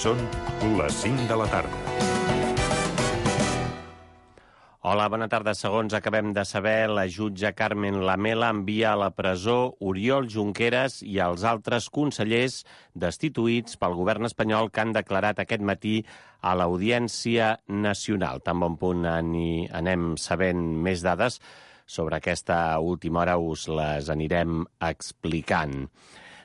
Són les 5 de la tarda. Hola, bona tarda. Segons acabem de saber, la jutge Carmen Lamela envia a la presó Oriol Junqueras i els altres consellers destituïts pel govern espanyol que han declarat aquest matí a l'Audiència Nacional. Tan bon punt anem sabent més dades sobre aquesta última hora, us les anirem explicant.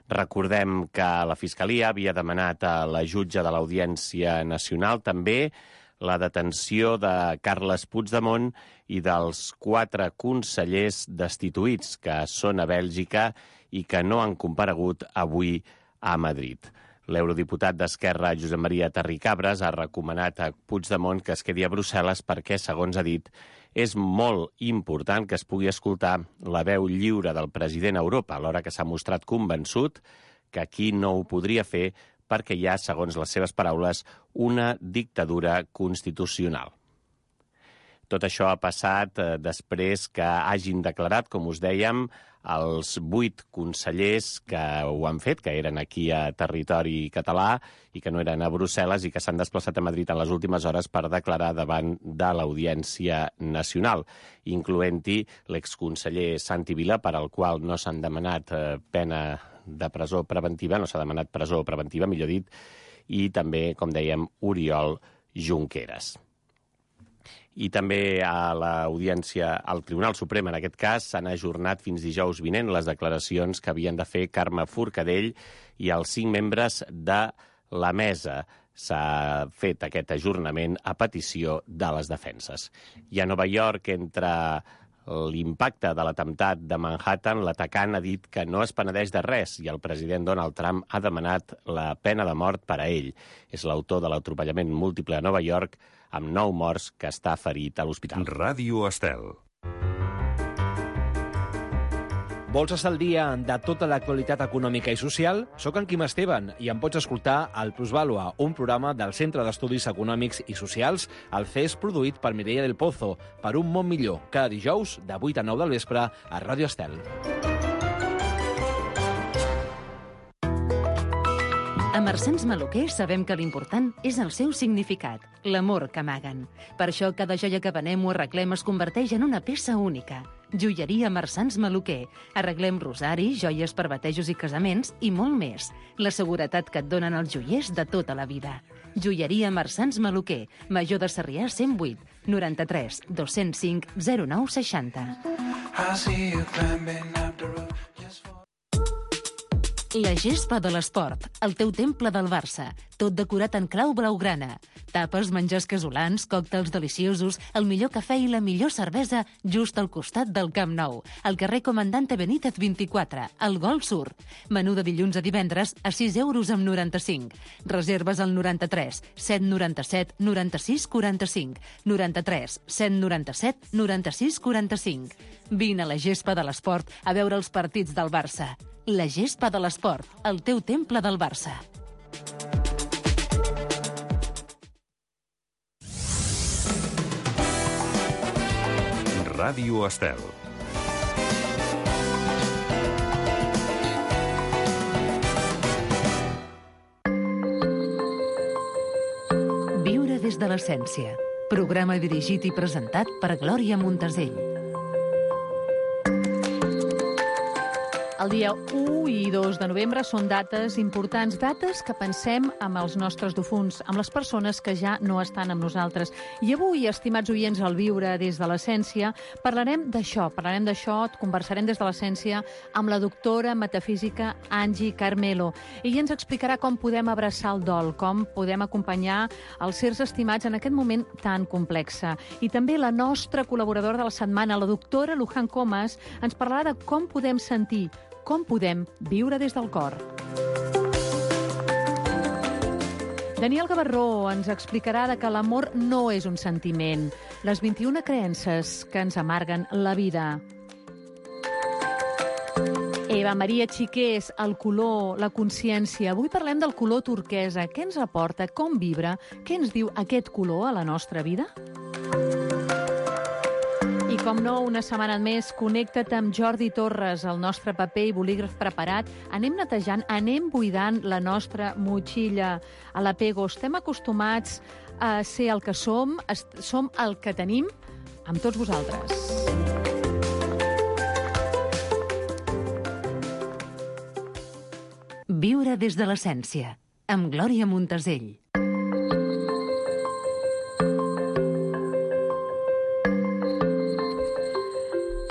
Recordem que la Fiscalia havia demanat a la jutge de l'Audiència Nacional també la detenció de Carles Puigdemont i dels 4 consellers destituïts que són a Bèlgica i que no han comparegut avui a Madrid. L'eurodiputat d'Esquerra, Josep Maria Terricabras, ha recomanat a Puigdemont que es quedi a Brussel·les perquè, segons ha dit, és molt important que es pugui escoltar la veu lliure del president a Europa, alhora que s'ha mostrat convençut que aquí no ho podria fer perquè hi ha, segons les seves paraules, una dictadura constitucional. Tot això ha passat després que hagin declarat, com us dèiem, els 8 consellers que ho han fet, que eren aquí a territori català i que no eren a Brussel·les i que s'han desplaçat a Madrid en les últimes hores per declarar davant de l'Audiència Nacional, incloent-hi l'exconseller Santi Vila, per al qual no s'han demanat pena de presó preventiva, no s'ha demanat presó preventiva, millor dit, i també, com dèiem, Oriol Junqueras. I també a l'Audiència, al Tribunal Suprem, en aquest cas, s'han ajornat fins dijous vinent les declaracions que havien de fer Carme Forcadell i els 5 membres de la mesa. S'ha fet aquest ajornament a petició de les defenses. I a Nova York, entre l'impacte de l'atemptat de Manhattan, l'atacant ha dit que no es penedeix de res i el president Donald Trump ha demanat la pena de mort per a ell. És l'autor de l'atropellament múltiple a Nova York, amb 9 morts, que està ferit a l'hospital. Ràdio Estel. Vols estar al dia de tota l'actualitat econòmica i social? Soc en Quim Esteban i em pots escoltar al Plusvàlua, un programa del Centre d'Estudis Econòmics i Socials, el CES, produït per Mireia del Pozo, per un món millor, cada dijous de 8 a 9 del vespre a Ràdio Estel. A Marsans Maluquer sabem que l'important és el seu significat, l'amor que amaguen. Per això cada joia que venem o arreglem es converteix en una peça única. Joieria Marsans Maluquer. Arreglem rosaris, joies per batejos i casaments i molt més. La seguretat que et donen els joiers de tota la vida. Joieria Marsans Maluquer. Major de Sarrià 108 93 205 0960. La gespa de l'esport, el teu temple del Barça, tot decorat en clau blaugrana. Tapes, menjars casolans, còctels deliciosos, el millor cafè i la millor cervesa just al costat del Camp Nou, al carrer Comandante Benítez 24, al Golf Sur. Menú de dilluns a divendres a 6,95 €. Reserves al 93 797 96 45, 93 797 96 45. Vine a la gespa de l'esport a veure els partits del Barça. La gespa de l'esport, el teu temple del Barça. Ràdio Estel. Viure des de l'essència. Programa dirigit i presentat per Glòria Montesell. El dia 1 i 2 de novembre són dates importants, dates que pensem amb els nostres difunts, amb les persones que ja no estan amb nosaltres. I avui, estimats oients, al Viure des de l'essència, parlarem d'això, conversarem des de l'essència amb la doctora metafísica Angie Carmelo. Ella ens explicarà com podem abraçar el dol, com podem acompanyar els sers estimats en aquest moment tan complex. I també la nostra col·laboradora de la setmana, la doctora Luján Comas, ens parlarà de com podem sentir, com podem viure des del cor. Daniel Gavarró ens explicarà que l'amor no és un sentiment, les 21 creences que ens amarguen la vida. Eva Maria Xiqués, el color, la consciència. Avui parlem del color turquesa. Què ens aporta, com vibra, què ens diu aquest color a la nostra vida? I Com no, una setmana més, connecta't amb Jordi Torres, el nostre paper i bolígraf preparat. Anem netejant, anem buidant la nostra motxilla. A l'Apego estem acostumats a ser el que som el que tenim amb tots vosaltres. Viure des de l'essència, amb Glòria Montesell.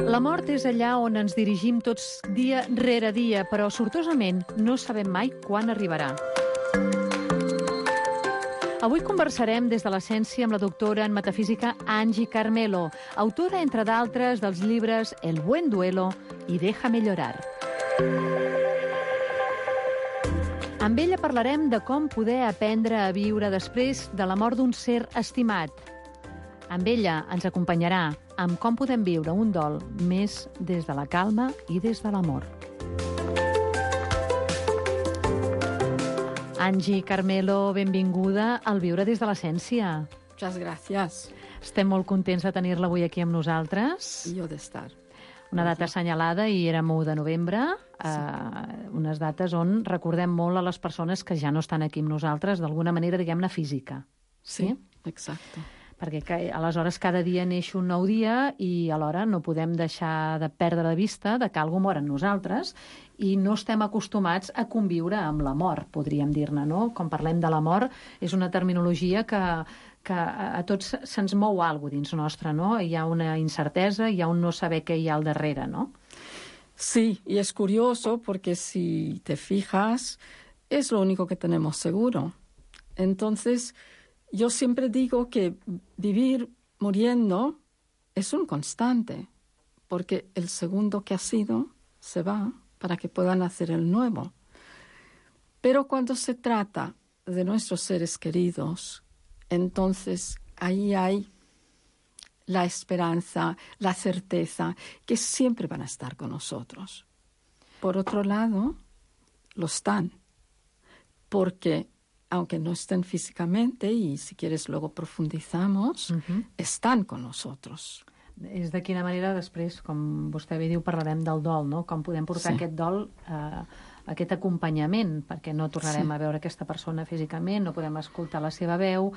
La mort és allà on ens dirigim tots dia rere dia, però sortosament no sabem mai quan arribarà. Avui conversarem des de l'essència amb la doctora en metafísica Angie Carmelo, autora, entre d'altres, dels llibres El buen duelo i Déjame llorar. Amb ella parlarem de com poder aprendre a viure després de la mort d'un ser estimat. Amb ella ens acompanyarà amb com podem viure un dol més des de la calma i des de l'amor. Angie Carmelo, benvinguda al Viure des de l'essència. Muchas gracias. Estem molt contents de tenir-la avui aquí amb nosaltres. Y yo de estar. Una data assenyalada i érem 1 de novembre, unes dates on recordem molt a les persones que ja no estan aquí amb nosaltres, d'alguna manera, diguem-ne, física. Sí, exacto. Perquè aleshores cada dia neix un nou dia i alhora no podem deixar de perdre de vista de que algú mor en nosaltres i no estem acostumats a conviure amb la mort, podríem dir-ne, no? Quan parlem de la mort és una terminologia que a tots se'ns mou alguna cosa dins nostre, no? Hi ha una incertesa, hi ha un no saber què hi ha al darrere, no? Sí, y es curioso porque si te fijas, es lo único que tenemos seguro. Entonces, yo siempre digo que vivir muriendo es un constante, porque el segundo que ha sido se va para que puedan hacer el nuevo. Pero cuando se trata de nuestros seres queridos, entonces ahí hay la esperanza, la certeza, que siempre van a estar con nosotros. Por otro lado, lo están, porque aunque no estén físicamente, y si quieres luego profundizamos, estan con nosotros. És de quina manera després, com vostè bé diu, parlarem del dol, no? Com podem portar aquest dol, aquest acompanyament, perquè no tornarem a veure aquesta persona físicament, no podem escoltar la seva veu.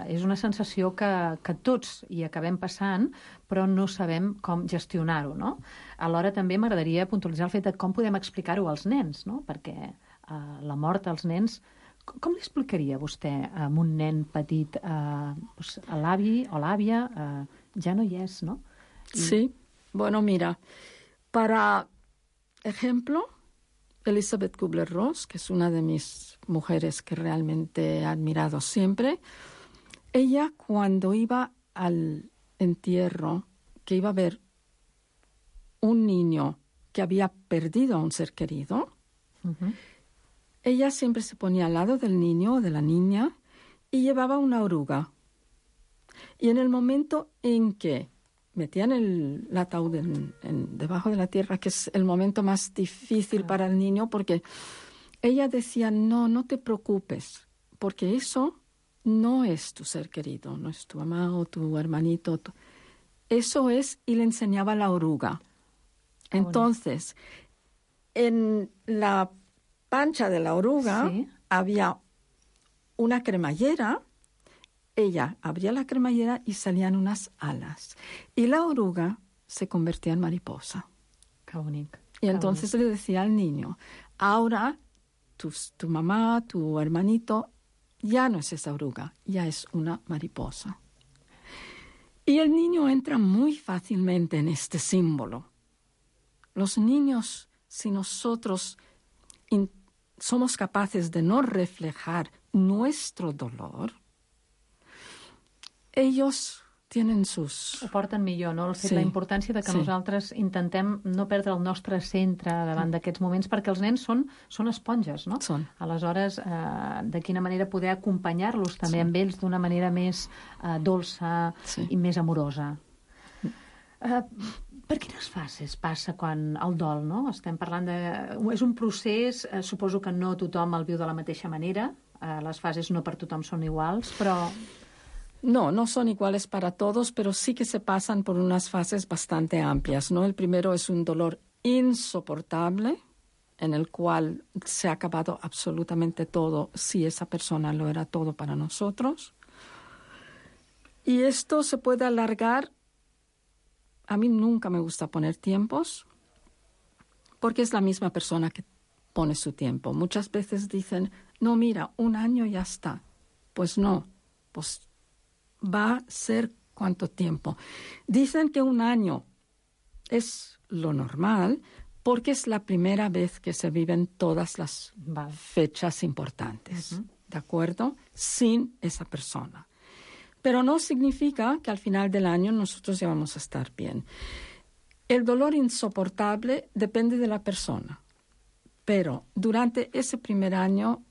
És una sensació que tots hi acabem passant, però no sabem com gestionar-ho, no? Alhora també m'agradaria puntualitzar el fet de com podem explicar-ho als nens, no? Perquè la mort als nens, com li explicaria vostè a un nen petit, l'avi o l'àvia, ja no hi és, no? Sí, bueno, mira, para ejemplo, Elizabeth Kubler-Ross, que es una de mis mujeres que realmente he admirado siempre, ella cuando iba al entierro, que iba a ver un niño que había perdido a un ser querido, ella siempre se ponía al lado del niño o de la niña y llevaba una oruga. Y en el momento en que metían el ataúd debajo de la tierra, que es el momento más difícil para el niño, porque ella decía, no te preocupes, porque eso no es tu ser querido, no es tu mamá o tu hermanito. Eso es, y le enseñaba la oruga. Entonces, en la pancha de la oruga había una cremallera. Ella abría la cremallera y salían unas alas. Y la oruga se convertía en mariposa. Qué bonito. Y entonces le decía al niño, ahora tu mamá, tu hermanito, ya no es esa oruga, ya es una mariposa. Y el niño entra muy fácilmente en este símbolo. Los niños, si nosotros somos capaces de no reflejar nuestro dolor, ellos tienen sus... Ho porten millor, no? La importància de que nosaltres intentem no perdre el nostre centre davant d'aquests moments, perquè els nens són esponges, no? Aleshores, de quina manera poder acompanyar-los també amb ells d'una manera més dolça i més amorosa. Per quines fases passa quan el dol, no? Estem parlant de... És un procés, suposo que no tothom el viu de la mateixa manera, les fases no per tothom són iguals, però No son iguales para todos, pero sí que se pasan por unas fases bastante amplias, ¿no? El primero es un dolor insoportable, en el cual se ha acabado absolutamente todo, si esa persona lo era todo para nosotros. Y esto se puede alargar. A mí nunca me gusta poner tiempos, porque es la misma persona que pone su tiempo. Muchas veces dicen, no, mira, 1 año y ya está. Pues no, pues va a ser ¿cuánto tiempo? Dicen que 1 año es lo normal porque es la primera vez que se viven todas las fechas importantes, ¿de acuerdo? Sin esa persona. Pero no significa que al final del año nosotros ya vamos a estar bien. El dolor insoportable depende de la persona, pero durante ese primer año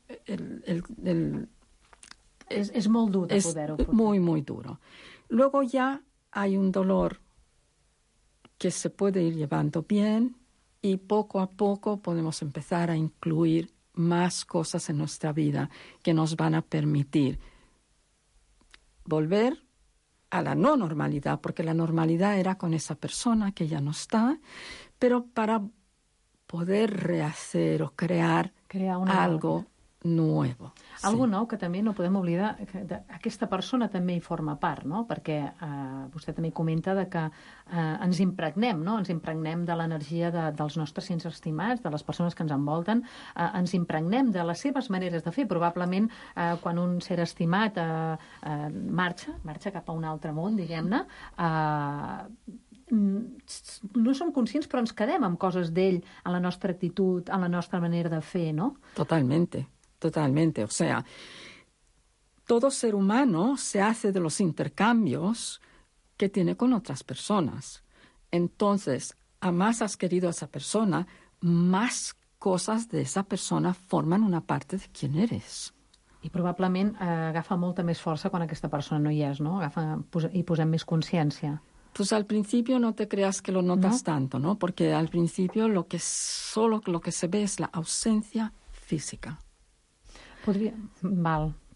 és molt dur de es poder-ho portar. muy, muy duro. Luego ya hay un dolor que se puede ir llevando bien y poco a poco podemos empezar a incluir más cosas en nuestra vida que nos van a permitir volver a la no normalidad, porque la normalidad era con esa persona que ya no está, pero para poder rehacer o crear algo nuevo. Algo nou que també no podem oblidar, que aquesta persona també hi forma part, no? Perquè vostè també comenta que ens impregnem, no? Ens impregnem de l'energia dels nostres sents estimats, de les persones que ens envolten, ens impregnem de les seves maneres de fer. Probablement, quan un ser estimat marxa cap a un altre món, diguem-ne, no som conscients, però ens quedem amb coses d'ell, en la nostra actitud, en la nostra manera de fer, no? Totalmente. O sea, todo ser humano se hace de los intercambios que tiene con otras personas. Entonces, a más has querido a esa persona, más cosas de esa persona forman una parte de quién eres. I probablement agafa molta més força quan aquesta persona no hi és, no? I posem més consciència. Pues al principio no te creas que lo notas tanto, ¿no? Porque al principio solo lo que se ve es la ausencia física.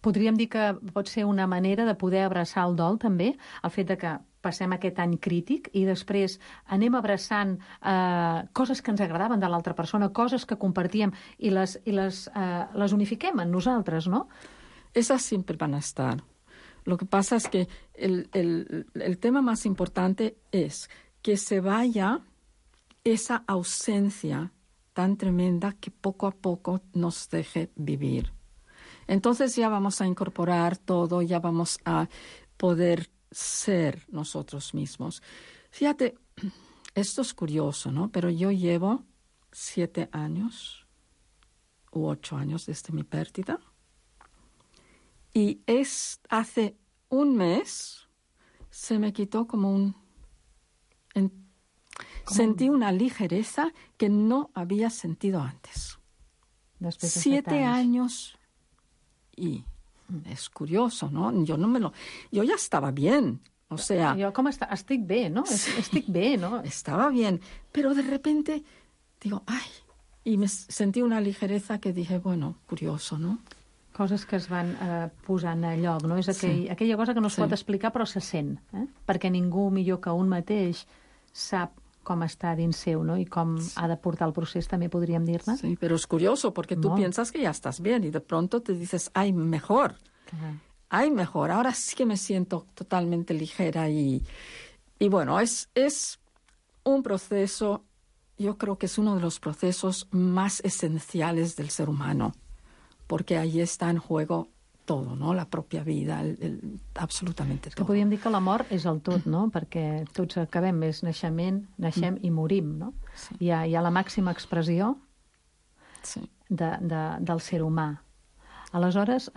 Podríem dir que pot ser una manera de poder abraçar el dol, també, el fet de que passem aquest any crític i després anem abraçant coses que ens agradaven de l'altra persona, coses que compartíem i les unifiquem en nosaltres, ¿no? Esas siempre van a estar. Lo que pasa es que el tema más importante es que se vaya esa ausencia tan tremenda que poco a poco nos deje vivir. Entonces ya vamos a incorporar todo, ya vamos a poder ser nosotros mismos. Fíjate, esto es curioso, ¿no? Pero yo llevo 7 años u 8 años desde mi pérdida. Y hace 1 mes se me quitó sentí una ligereza que no había sentido antes. 7 años y es curioso, ¿no? Yo ya estaba bien, o sea... Jo estic bé, no? Estic bé, no? Estaba bien, pero de repente digo, ¡ay! Y me sentí una ligereza que dije, bueno, curioso, ¿no? Coses que es van posant a lloc, no? És aquella cosa que no es pot explicar però se sent, perquè ningú millor que un mateix sap com està dins seu, no? I com ha de portar el procés, també podríem dir-ne. Sí, pero es curioso porque tú piensas que ya estás bien y de pronto te dices, ¡ay, mejor! ¡Ay, mejor! Ahora sí que me siento totalmente ligera y bueno, es un proceso, yo creo que es uno de los procesos más esenciales del ser humano, porque ahí está en juego todo, no? La pròpia vida, absolutament tot. Que podríem dir que la mort és el tot, no? Perquè tots acabem, és naixem i morim, no? Sí. Hi ha la màxima expressió del ser humà. Aleshores,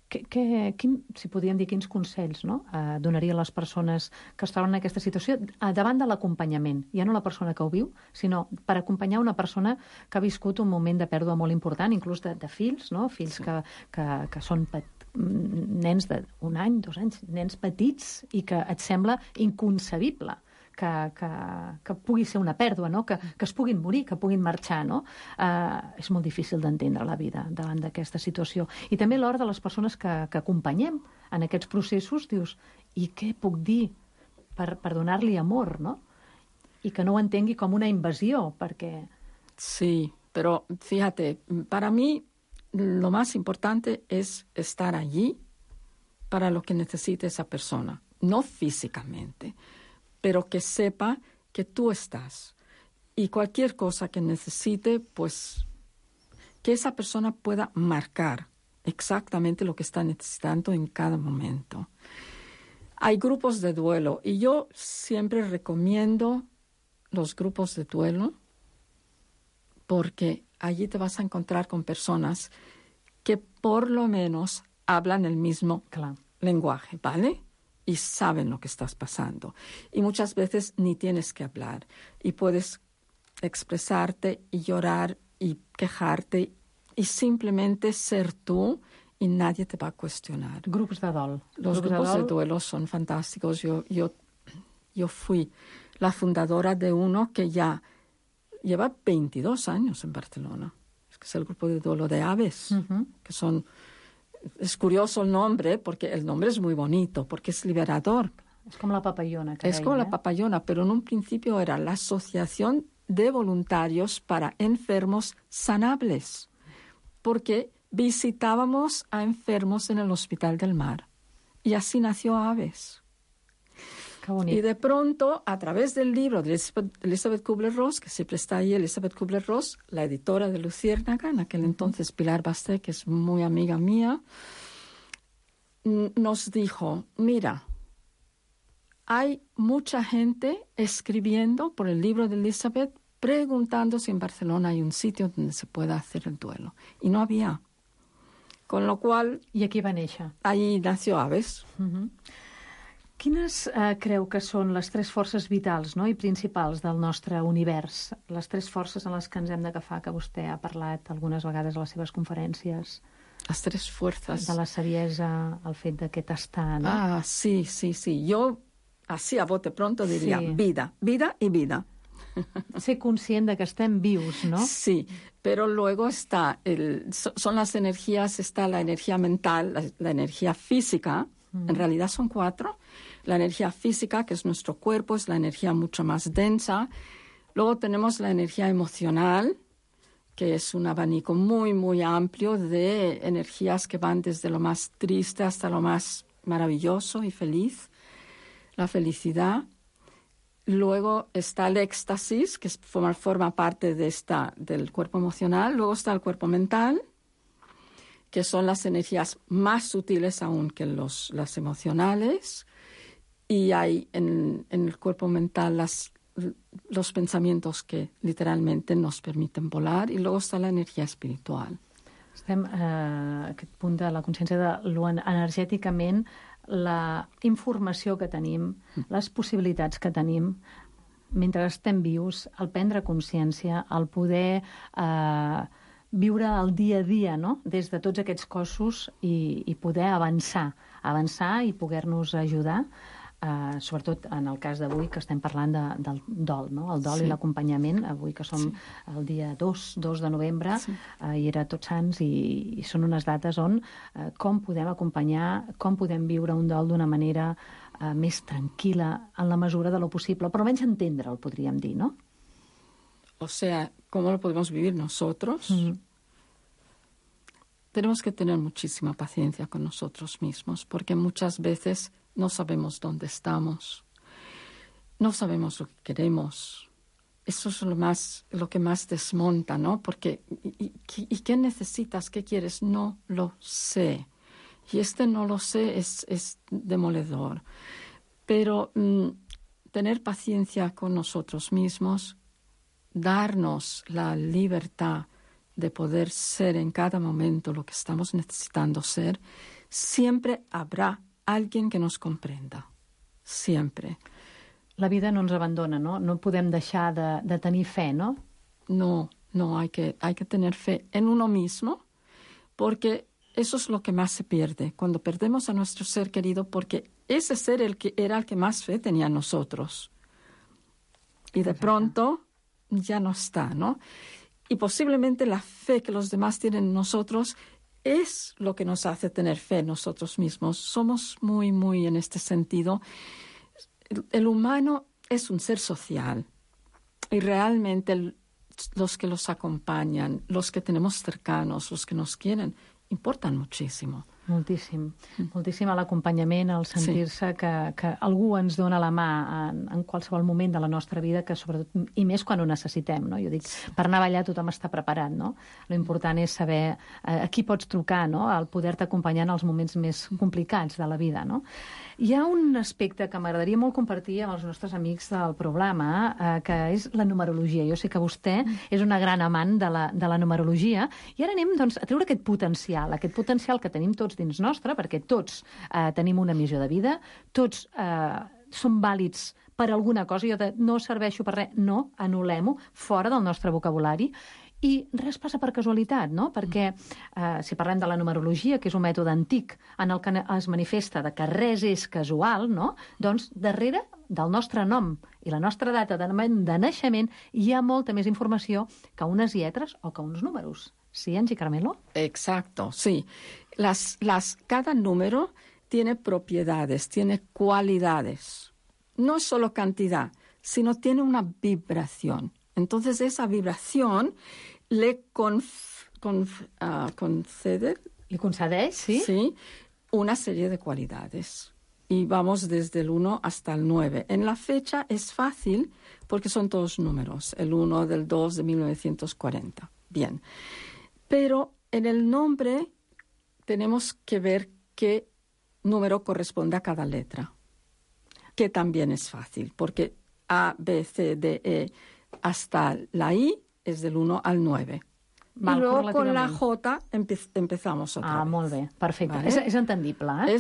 si podríem dir quins consells donaria a les persones que es troben en aquesta situació davant de l'acompanyament, ja no la persona que ho viu, sinó per acompanyar una persona que ha viscut un moment de pèrdua molt important, inclús de fills, no? Fills que són nens d'1 any, 2 anys, nens petits, i que et sembla inconcebible que pugui ser una pèrdua, no? Que es puguin morir, que puguin marxar, no? És molt difícil d'entendre la vida davant d'aquesta situació. I també l'hora de les persones que acompanyem en aquests processos, dius, i què puc dir per donar-li amor, no? I que no ho entengui com una invasió, perquè... Sí, pero fíjate, para mí lo más importante es estar allí para lo que necesite esa persona, no físicamente, pero que sepa que tú estás. Y cualquier cosa que necesite, pues que esa persona pueda marcar exactamente lo que está necesitando en cada momento. Hay grupos de duelo y yo siempre recomiendo los grupos de duelo porque allí te vas a encontrar con personas que por lo menos hablan el mismo lenguaje, ¿vale? Y saben lo que estás pasando. Y muchas veces ni tienes que hablar. Y puedes expresarte y llorar y quejarte y simplemente ser tú y nadie te va a cuestionar. Grupos de dol. Los grupos de duelo son fantásticos. Yo fui la fundadora de uno que ya lleva 22 años en Barcelona. Es que es el grupo de duelo de aves, que son... Es curioso el nombre, porque el nombre es muy bonito, porque es liberador. Es como la papallona. Es como la papallona, pero en un principio era la Asociación de Voluntarios para Enfermos Sanables, porque visitábamos a enfermos en el Hospital del Mar. Y así nació Aves. Qué bonito. Y de pronto, a través del libro de Elizabeth Kubler-Ross, que siempre está ahí, Elizabeth Kubler-Ross, la editora de Luciérnaga, en aquel entonces Pilar Basté, que es muy amiga mía, nos dijo, mira, hay mucha gente escribiendo por el libro de Elizabeth preguntando si en Barcelona hay un sitio donde se pueda hacer el duelo. Y no había. Con lo cual... I aquí va néixer. Ahí nació Aves. Quines creu que són les tres forces vitals, no?, i principals del nostre univers? Les tres forces en les que ens hem d'agafar, que vostè ha parlat algunes vegades a les seves conferències. Las tres fuerzas. De la saviesa, el fet d'aquest estar, no? Ah, sí, sí, sí. Yo, así a bote pronto, diría vida, vida y vida. Ser conscient de que estem vius, ¿no? Sí, pero luego está son las energías, está la energía mental, la energía física, en realidad son 4. La energía física, que es nuestro cuerpo, es la energía mucho más densa. Luego tenemos la energía emocional, que es un abanico muy, muy amplio de energías que van desde lo más triste hasta lo más maravilloso y feliz. La felicidad. Luego está el éxtasis, que forma parte del cuerpo emocional. Luego está el cuerpo mental, que son las energías más sutiles aún que las emocionales. Y hay en el cuerpo mental los pensamientos que literalmente nos permiten volar. Y luego está la energía espiritual. Estem a aquest punt de la consciència de lo energèticament, la informació que tenim, les possibilitats que tenim, mentre estem vius, el prendre consciència, el poder viure el dia a dia, no?, des de tots aquests cossos i poder avançar i poder-nos ajudar, sobretot en el cas d'avui que estem parlant del dol, no?, el dol i l'acompanyament, avui que som el dia 2 de novembre, i era Tots Sants, i són unes dates on com podem acompanyar, com podem viure un dol d'una manera més tranquil·la en la mesura de lo possible, però almenys entendre'l, podríem dir, no? O sea, ¿cómo lo podemos vivir nosotros? Tenemos que tener muchísima paciencia con nosotros mismos, porque muchas veces no sabemos dónde estamos, no sabemos lo que queremos. Eso es lo que más desmonta, ¿no? Porque, ¿y qué necesitas? ¿Qué quieres? No lo sé. Y no lo sé es demoledor. Pero tener paciencia con nosotros mismos, darnos la libertad de poder ser en cada momento lo que estamos necesitando ser, siempre habrá alguien que nos comprenda. Siempre. La vida no ens abandona, no? No podem deixar de tenir fe, ¿no? No, hay que tener fe en uno mismo, porque eso es lo que más se pierde, cuando perdemos a nuestro ser querido, porque ese ser era el que más fe tenía en nosotros. Y de pronto ya no está, ¿no? Y posiblemente la fe que los demás tienen en nosotros es lo que nos hace tener fe en nosotros mismos. Somos muy, muy en este sentido. El humano es un ser social y realmente los que los acompañan, los que tenemos cercanos, los que nos quieren, importan muchísimo. Moltíssim. Moltíssim l'acompanyament, el sentir-se que algú ens dona la mà en qualsevol moment de la nostra vida, que sobretot, i més quan ho necessitem, no? Jo dic, per anar a ballar tothom està preparat, no? L'important és saber a qui pots trucar, no? El poder-te acompanyar en els moments més complicats de la vida, no? Hi ha un aspecte que m'agradaria molt compartir amb els nostres amics del programa, que és la numerologia. Jo sé que vostè és una gran amant de la numerologia, i ara anem doncs, a treure aquest potencial que tenim tots dins nostre, perquè tots tenim una missió de vida, tots som vàlids per alguna cosa, jo no serveixo per res, no, anul·lem-ho, fora del nostre vocabulari, i res passa per casualitat, no? Perquè si parlem de la numerologia, que és un mètode antic en el que es manifesta de que res és casual, no? Doncs darrere del nostre nom i la nostra data de naixement hi ha molta més informació que unes lletres o que uns números. ¿Sí, Angie Carmelo? Exacto, sí. Cada número tiene propiedades, tiene cualidades. No es solo cantidad, sino tiene una vibración. Entonces, esa vibración le concede... ¿Le concedeix, sí? Sí, una serie de cualidades. Y vamos desde el 1 hasta el 9. En la fecha es fácil porque son todos números. El 1 del 2 de 1940. Bien. Pero en el nombre tenemos que ver qué número corresponde a cada letra, que también es fácil, porque A, B, C, D, E, hasta la I es del 1 al 9. I luego con la J empezamos otra vez. Ah, molt bé, perfecte. ¿Vale? És entendible, eh?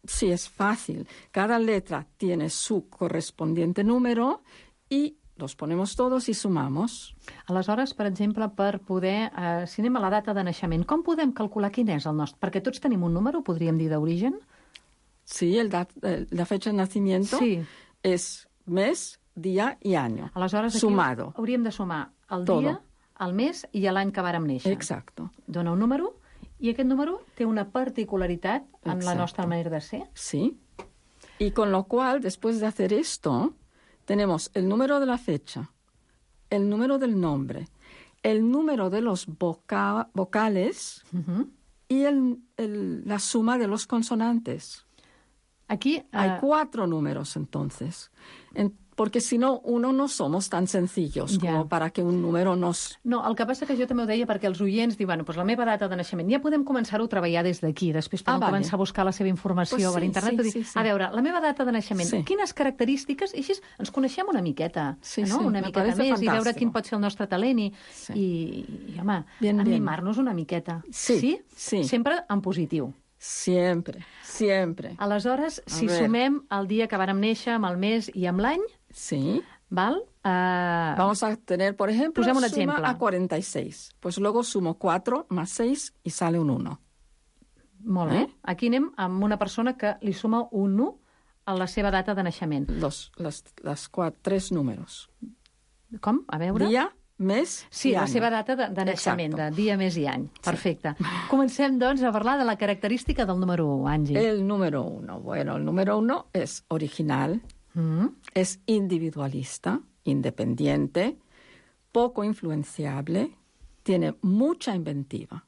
Sí, es fácil. Cada letra tiene su correspondiente número y los ponemos todos y sumamos. Aleshores, per exemple, per poder... si anem a la data de naixement, com podem calcular quin és el nostre? Perquè tots tenim un número, podríem dir, d'origen? Sí, la fecha de nacimiento es mes, día y año. Aleshores, sumado. Hauríem de sumar el dia, el mes i l'any que vàrem néixer. Exacto. Dona un número i aquest número té una particularitat en la nostra manera de ser. Sí. Y con lo cual, después de hacer esto, tenemos el número de la fecha, el número del nombre, el número de los vocales y la suma de los consonantes. Aquí hay 4 números, entonces. Porque si no, no somos tan sencillos como para que un número nos... No, el que passa que jo també ho deia perquè els oients diuen, doncs la meva data de naixement, ja podem començar-ho a treballar des d'aquí, després podem començar a buscar la seva informació per internet, a veure, la meva data de naixement, quines característiques, i així ens coneixem una miqueta, una miqueta més, i veure quin pot ser el nostre talent, i home, animar-nos una miqueta. Sí. Sempre en positiu. Siempre. Aleshores, si sumem el dia que vàrem néixer amb el mes i amb l'any, ¿val? Vamos a tener, por ejemplo, suma a 46. Pues luego sumo 4 más 6 y sale un 1. Molt bé. Aquí anem amb una persona que li suma un 1 a la seva data de naixement. Les 3 números. Com? A veure. Dia, mes i any. La seva data de naixement, de dia, mes i any. Perfecte. Comencem, doncs, a parlar de la característica del número 1, Angie. El número 1. Bueno, el número 1 es original, es individualista, independiente, poco influenciable, tiene mucha inventiva.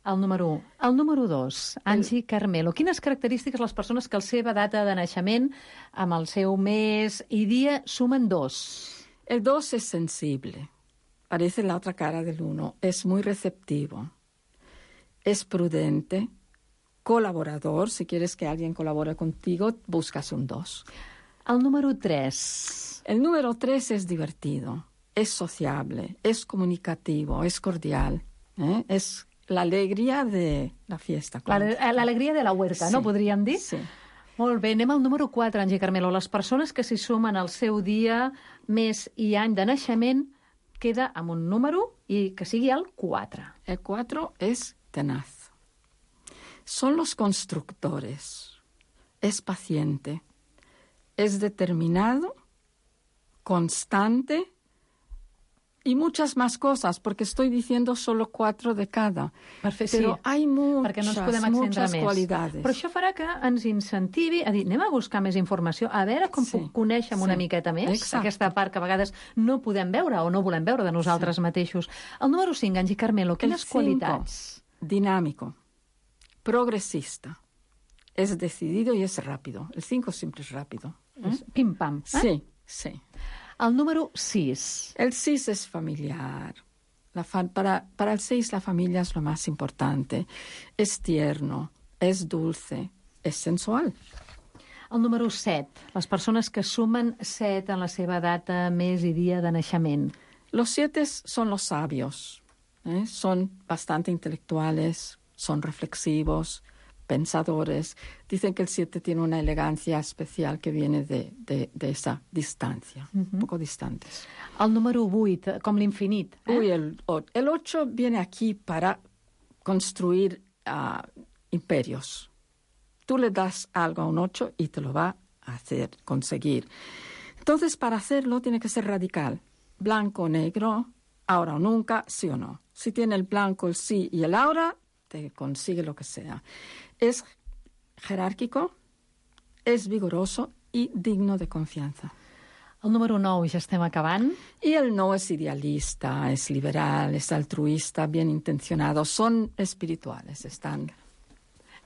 El número 1. El número 2, Angie Carmelo. Quines característiques les persones que la seva data de naixement amb el seu mes i dia sumen 2? El 2 es sensible, parece la otra cara del 1, es muy receptivo, es prudente, colaborador, si quieres que alguien colabore contigo, buscas un 2. El número 3. El número 3 es divertido, es sociable, es comunicativo, es cordial, es la alegría de la fiesta. L'alegria de la huerta, no podríem dir? Sí. Molt bé, anem al número 4, Angie Carmelo. Les persones que s'hi sumen al seu dia, mes i any de naixement, queda amb un número i que sigui el 4. El 4 es tenaz. Son los constructores. Es paciente. Es determinado constante y muchas más cosas, porque estoy diciendo solo 4 de cada. Perfecte, Però hi ha perquè no ens podem extendre muchas més. qualidades. Però això farà que ens incentivi a dir, anem a buscar més informació, a veure com puc conèixer una miqueta més aquesta part que a vegades no podem veure o no volem veure de nosaltres mateixos. El número 5, Angie Carmelo, quines qualitats? Dinámico, progresista, es decidido y es rápido. El 5 siempre es rápido. Pim-pam. Sí, sí. El número 6. El 6 es familiar. Para el 6 la familia es lo más importante. Es tierno, es dulce, es sensual. El número 7. Les persones que sumen 7 en la seva data, mes i dia de naixement. Los 7 son los sabios. Son bastante intelectuales, son reflexivos, pensadores. Dicen que el 7 tiene una elegancia especial que viene de esa distancia, un poco distantes. El número 8, com l'infinit. El 8 viene aquí para construir imperios. Tú le das algo a un 8 y te lo va a hacer, conseguir. Entonces, para hacerlo tiene que ser radical. Blanco o negro, ahora o nunca, sí o no. Si tiene el blanco, el sí y el ahora, te consigue lo que sea. Es jerárquico, es vigoroso y digno de confianza. El número 9, ja estem acabant. Y el no es idealista, es liberal, es altruista, bien intencionado. Son espirituales, están...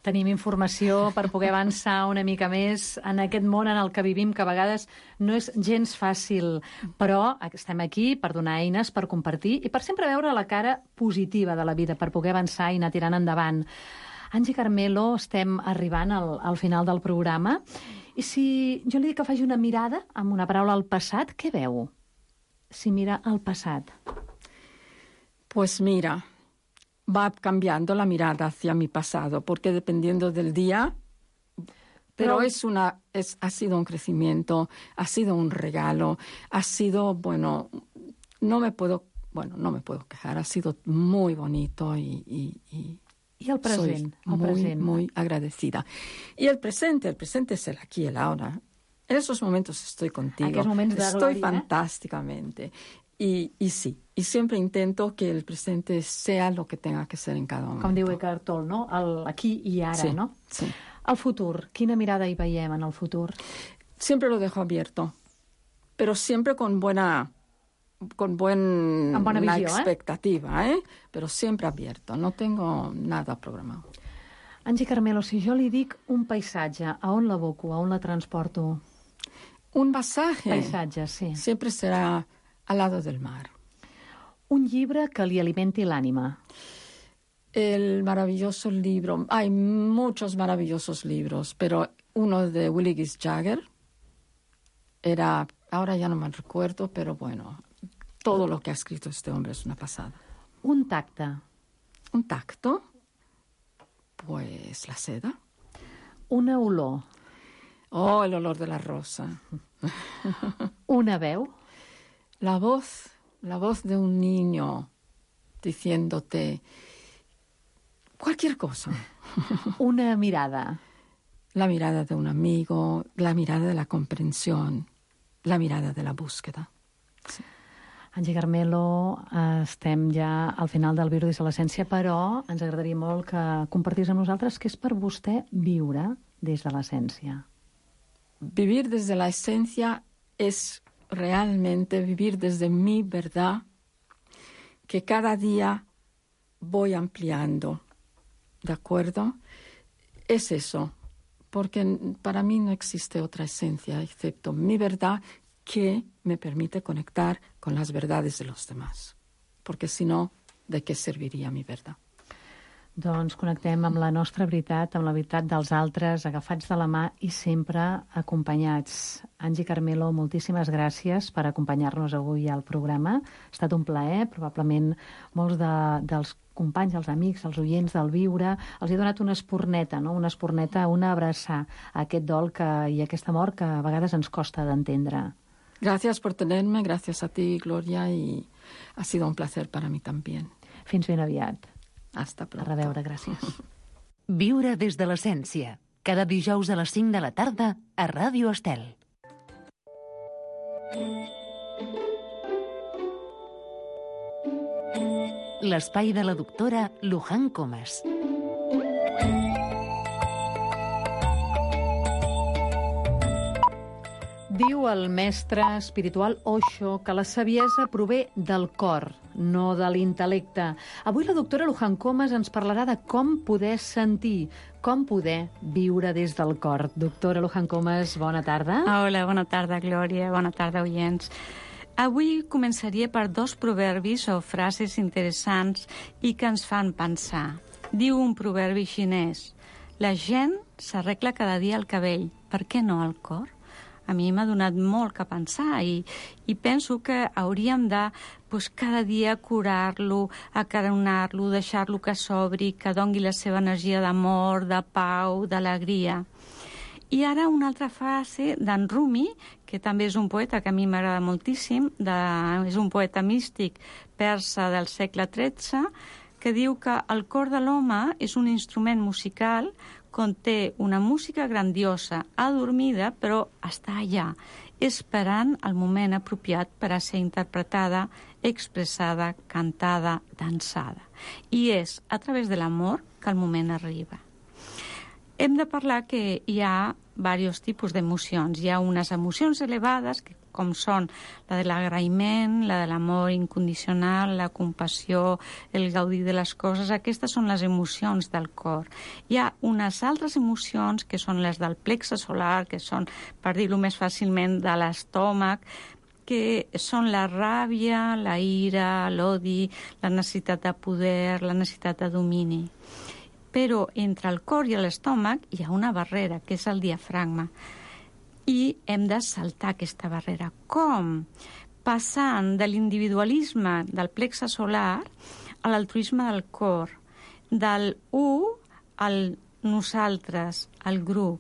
Tenim informació per poder avançar una mica més en aquest món en el que vivim, que a vegades no és gens fàcil, però estem aquí per donar eines, per compartir i per sempre veure la cara positiva de la vida, per poder avançar i anar tirant endavant. Angie Carmelo, estem arribant al final del programa, i si jo li dic que faci una mirada amb una paraula al passat, què veu? Si mira al passat. Pues mira... va cambiando la mirada hacia mi pasado, porque dependiendo del día, pero ha sido un crecimiento, ha sido un regalo, ha sido, bueno, no me puedo quejar, ha sido muy bonito y el present, soy muy agradecida. Y el presente es el aquí y el ahora. En esos momentos estoy contigo, estoy fantásticamente. Y sí, y siempre intento que el presente sea lo que tenga que ser en cada momento. Com diu Eckhart Tolle, no? El aquí i ara, sí, no? Sí. El futur, quina mirada hi veiem en el futur? Siempre lo dejo abierto, pero siempre con buena visió, expectativa, pero siempre abierto, no tengo nada programado. Angie Carmelo, si jo li dic un paisatge, a on l'aboco, a on la transporto? Un pasaje. Paisatge, sí. Siempre será al lado del mar. Un llibre que li alimenti l'ànima. El maravilloso libro, hay muchos maravillosos libros, pero uno de Willie Gis Jagger era, ahora ya no me recuerdo, pero bueno, todo lo que ha escrito este hombre es una pasada. Un tacte. Un tacto, pues la seda. Una olor. Oh, el olor de la rosa. Una veu. La voz de un niño diciéndote cualquier cosa. Una mirada. La mirada de un amigo, la mirada de la comprensión, la mirada de la búsqueda. Sí. Angie Carmelo, estem ja al final del Viure des de l'Essència, però ens agradaria molt que compartís amb nosaltres què és per vostè viure des de l'essència. Vivir desde la esencia es realmente vivir desde mi verdad, que cada día voy ampliando, ¿de acuerdo? Es eso, porque para mí no existe otra esencia excepto mi verdad que me permite conectar con las verdades de los demás, porque si no, ¿de qué serviría mi verdad? Doncs connectem amb la nostra veritat, amb la veritat dels altres, agafats de la mà i sempre acompanyats. Angie Carmelo, moltíssimes gràcies per acompanyar-nos avui al programa. Ha estat un plaer, probablement molts dels companys, els amics, els oients del Viure, els he donat una espurneta, no? Una espurneta, una abraçar a aquest dol i aquesta mort que a vegades ens costa d'entendre. Gracias por tenerme, gracias a ti, Gloria, y ha sido un placer para mí también. Fins ben aviat. Hasta pronto. A reveure, gràcies. Viure des de l'essència. Cada dijous a les 5 de la tarda a Ràdio Estel. l'espai de la doctora Luján Comas. Diu el mestre espiritual Osho que la saviesa prové del cor, no de l'intel·lecte. Avui la doctora Luján Comas ens parlarà de com poder sentir, com poder viure des del cor. Doctora Luján Comas, bona tarda. Hola, bona tarda, Glòria. Bona tarda, oients. Avui començaria per 2 proverbis o frases interessants i que ens fan pensar. Diu un proverbi xinès: la gent s'arregla cada dia el cabell, per què no el cor? A mi m'ha donat molt que pensar i penso que hauríem de cada dia curar-lo, acaronar-lo, deixar-lo que s'obri, que dongui la seva energia d'amor, de pau, d'alegria. I ara una altra frase d'en Rumi, que també és un poeta que a mi m'agrada moltíssim, és un poeta místic persa del segle XIII, que diu que el cor de l'home és un instrument musical, conté una música grandiosa, adormida, però està allà, esperant el moment apropiat per a ser interpretada, expressada, cantada, dansada. I és a través de l'amor que el moment arriba. Hem de parlar que hi ha diversos tipus d'emocions. Hi ha unes emocions elevades, com són la de l'agraïment, la de l'amor incondicional, la compassió, el gaudir de les coses. Aquestes són les emocions del cor. Hi ha unes altres emocions que són les del plexe solar, que són, per dir-ho més fàcilment, de l'estómac, que són la ràbia, la ira, l'odi, la necessitat de poder, la necessitat de domini. Però entre el cor i l'estómac hi ha una barrera, que és el diafragma. I hem de saltar aquesta barrera. Com? Passant de l'individualisme del plexe solar a l'altruisme del cor, del al nosaltres, al grup.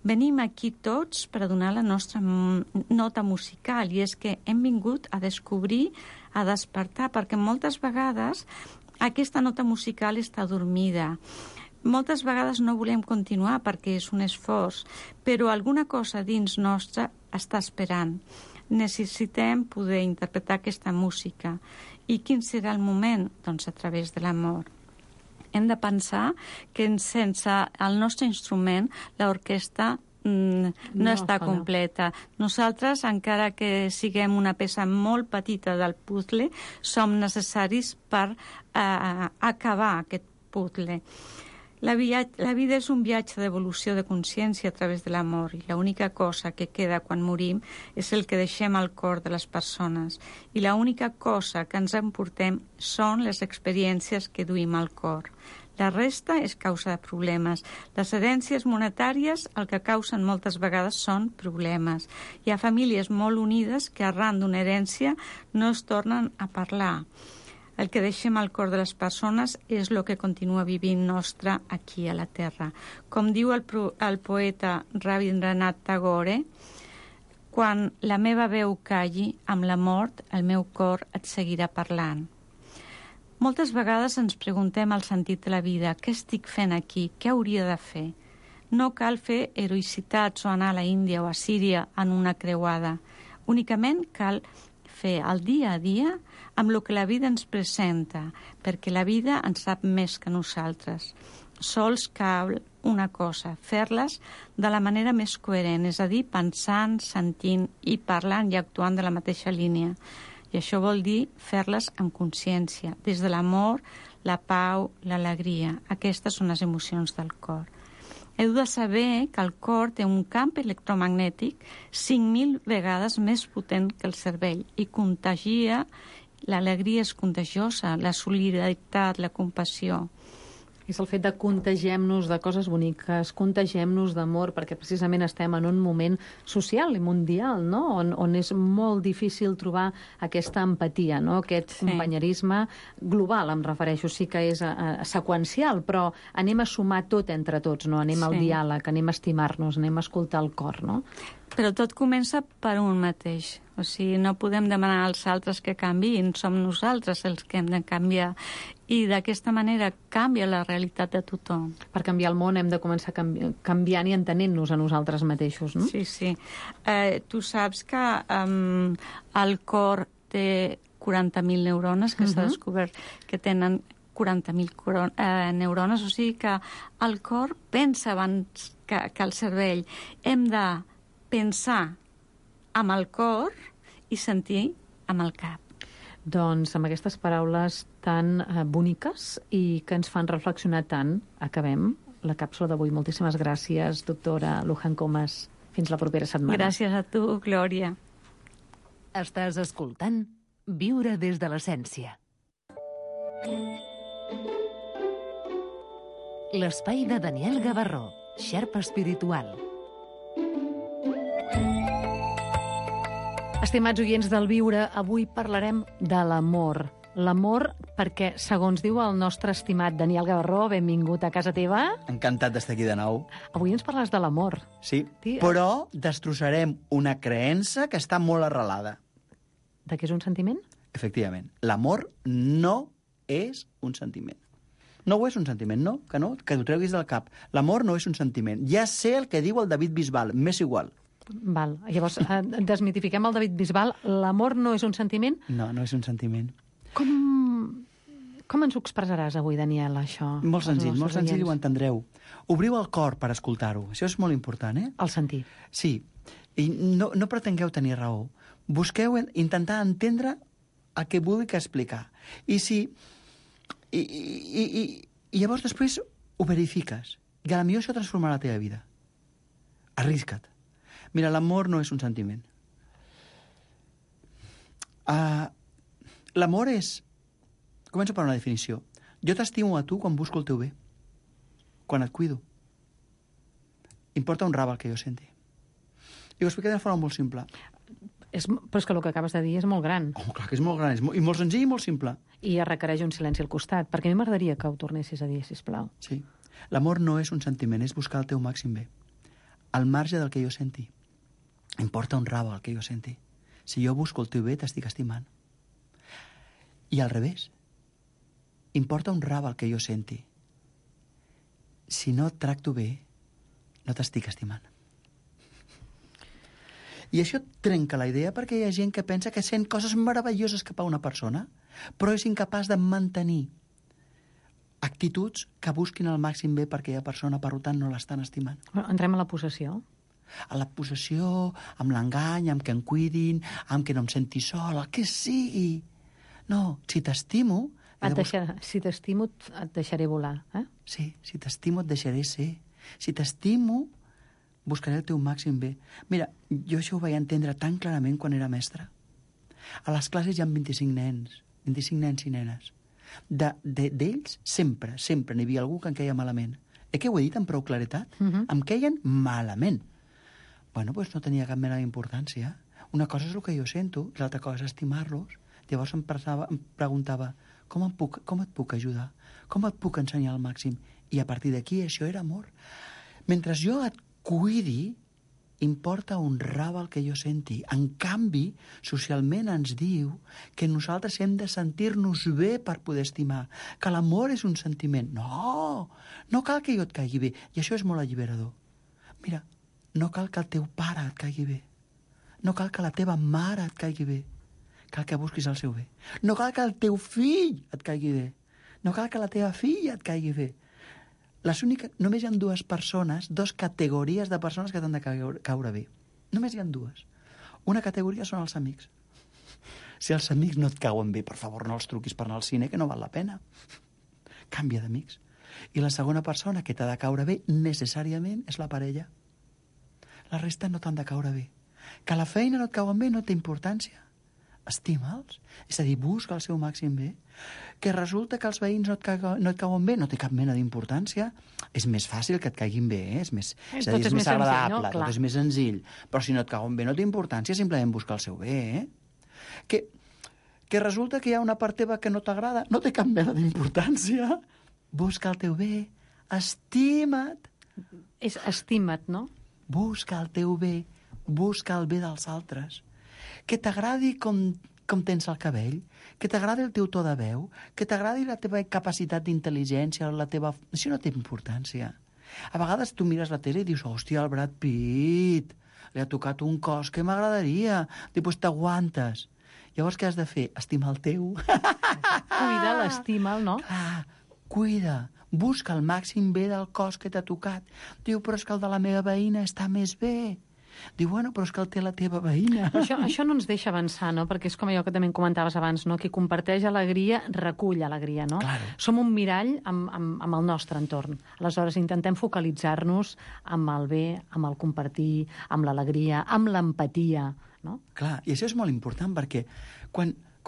Venim aquí tots per a donar la nostra nota musical, i és que hem vingut a descobrir, a despertar, perquè moltes vegades aquesta nota musical està dormida. Moltes vegades no volem continuar perquè és un esforç, però alguna cosa dins nostre està esperant. Necessitem poder interpretar aquesta música. I quin serà el moment? Doncs a través de l'amor. Hem de pensar que sense el nostre instrument, l'orquestra no està completa. Nosaltres, encara que siguem una peça molt petita del puzzle, som necessaris per acabar aquest puzzle. La vida és un viatge d'evolució de consciència a través de l'amor, i l'única cosa que queda quan morim és el que deixem al cor de les persones, i l'única cosa que ens emportem són les experiències que duim al cor. La resta és causa de problemes. Les herències monetàries el que causen moltes vegades són problemes. Hi ha famílies molt unides que arran d'una herència no es tornen a parlar. El que deixem al cor de les persones és el que continua vivint nostre aquí a la Terra. Com diu el poeta Rabindranath Tagore, quan la meva veu calli, amb la mort el meu cor et seguirà parlant. Moltes vegades ens preguntem el sentit de la vida. Què estic fent aquí? Què hauria de fer? No cal fer heroïcitats o anar a la Índia o a Síria en una creuada. Únicament cal fer el dia a dia amb el que la vida ens presenta, perquè la vida en sap més que nosaltres. Sols cal una cosa, fer-les de la manera més coherent, és a dir, pensant, sentint i parlant i actuant de la mateixa línia. I això vol dir fer-les amb consciència, des de l'amor, la pau, l'alegria. Aquestes són les emocions del cor. Heu de saber que el cor té un camp electromagnètic 5.000 vegades més potent que el cervell i contagia. L'alegria és contagiosa, la solidaritat, la compassió. És el fet de contagiem-nos de coses boniques, contagiem-nos d'amor, perquè precisament estem en un moment social i mundial, no? on és molt difícil trobar aquesta empatia, no? Aquest companyerisme global, em refereixo, sí que és seqüencial, però anem a sumar tot entre tots, no? Anem al diàleg, anem a estimar-nos, anem a escoltar el cor, no? Però tot comença per un mateix. O sigui, no podem demanar als altres que canviïn, som nosaltres els que hem de canviar. I d'aquesta manera canvia la realitat de tothom. Per canviar el món hem de començar canviant i entenent-nos a nosaltres mateixos, no? Sí, sí. Tu saps que el cor té 40.000 neurones, que s'ha descobert que tenen 40.000 neurones, o sigui que el cor pensa abans que el cervell. Hem de pensar amb el cor i sentir amb el cap. Doncs amb aquestes paraules tan boniques i que ens fan reflexionar tant, acabem la càpsula d'avui. Moltíssimes gràcies, doctora Luján Comas. Fins la propera setmana. Gràcies a tu, Glòria. Estàs escoltant Viure des de l'essència. L'espai de Daniel Gavarró, xerpa espiritual. Estimats oients del Viure, avui parlarem de l'amor. L'amor perquè, segons diu el nostre estimat Daniel Gavarró, benvingut a casa teva. Encantat d'estar aquí de nou. Avui ens parles de l'amor. Sí, però destrossarem una creença que està molt arrelada. De què és un sentiment? Efectivament, l'amor no és un sentiment. No ho és un sentiment, no? Que t'ho treguis del cap. L'amor no és un sentiment. Ja sé el que diu el David Bisbal, m'és igual. Val. Llavors, desmitifiquem el David Bisbal. L'amor no és un sentiment? No, no és un sentiment. Com ens ho expressaràs avui, Daniel, això? Molt senzill, ho entendreu. Obriu el cor per escoltar-ho. Això és molt important, eh? El sentir. Sí. I no pretengueu tenir raó. Busqueu intentar entendre el que vulgui explicar. I llavors després ho verifiques. I potser això transformarà la teva vida. Arrisca't. Mira, l'amor no és un sentiment. L'amor és... Començo per una definició. Jo t'estimo a tu quan busco el teu bé. Quan et cuido. Importa un rave el que jo senti. I ho explicaré de forma molt simple. Però és que el que acabes de dir és molt gran. Oh, clar que és molt gran, i molt senzill i molt simple. I requereix un silenci al costat, perquè a mi m'agradaria que ho tornessis a dir, sisplau. Sí. L'amor no és un sentiment, és buscar el teu màxim bé. Al marge del que jo senti. Importa un rave el que jo senti. Si jo busco el teu bé, t'estic estimant. I al revés. Importa un rave el que jo senti. Si no et tracto bé, no t'estic estimant. I això trenca la idea perquè hi ha gent que pensa que sent coses meravelloses cap a una persona, però és incapaç de mantenir actituds que busquin el màxim bé per aquella persona, per tant no l'estan estimant. Entrem a la possessió. A la possessió, amb l'engany, amb que em cuidin, amb que no em senti sol, el que sigui. No, si t'estimo... Si t'estimo, et deixaré volar, eh? Sí, si t'estimo, et deixaré ser. Si t'estimo, buscaré el teu màxim bé. Mira, jo això ho vaig entendre tan clarament quan era mestre. A les classes hi ha 25 nens i nenes. D'ells, sempre n'hi havia algú que em queia malament. Que ho he dit amb prou claretat? Em queien malament. Bueno, doncs no tenia cap mena d'importància. Una cosa és el que jo sento, i l'altra cosa és estimar-los. Llavors em preguntava, com et puc ajudar? Com et puc ensenyar al màxim? I a partir d'aquí això era amor. Mentre jo et cuidi, importa un rave el que jo senti. En canvi, socialment ens diu que nosaltres hem de sentir-nos bé per poder estimar, que l'amor és un sentiment. No cal que jo et caigui bé, i això és molt alliberador. Mira, no cal que el teu pare et caigui bé, no cal que la teva mare et caigui bé, cal que busquis el seu bé. No cal que el teu fill et caigui bé, no cal que la teva filla et caigui bé. Només hi ha dues categories de persones que t'han de caure bé. Només hi ha dues. Una categoria són els amics. Si els amics no et cauen bé, per favor, no els truquis per anar al cine, que no val la pena. Canvia d'amics. I la segona persona que t'ha de caure bé, necessàriament, és la parella. La resta no t'han de caure bé. Que a la feina no et cauen bé no té importància. Estima'ls, és a dir, busca el seu màxim bé. Que resulta que els veïns no et cauen bé, no té cap mena d'importància. És més fàcil que et caiguin bé, és més agradable, tot és més senzill. Però si no et cauen bé no té importància, simplement busca el seu bé. Que resulta que hi ha una part teva que no t'agrada, no té cap mena d'importància. Busca el teu bé, estima't. És estima't, no? Busca el teu bé, busca el bé dels altres. Que t'agradi com tens el cabell, que t'agradi el teu to de veu, que t'agradi la teva capacitat d'intel·ligència, Això no té importància. A vegades tu mires la tele i dius, hòstia, el Brad Pitt, li ha tocat un cos que m'agradaria. Després t'aguantes. Llavors, què has de fer? Estimar el teu. Cuida, l'estima'l, no? Clar, cuida. Busca el màxim bé del cos que t'ha tocat. Diu, però és que el de la meva veïna està més bé. Diu, bueno, però és que el té la teva veïna. Això no ens deixa avançar, no? Perquè és com allò que també comentaves abans, no? Qui comparteix alegria, recull alegria, no? Claro. Som un mirall amb el nostre entorn. Aleshores, intentem focalitzar-nos amb el bé, amb el compartir, amb l'alegria, amb l'empatia, no? Clar, i això és molt important perquè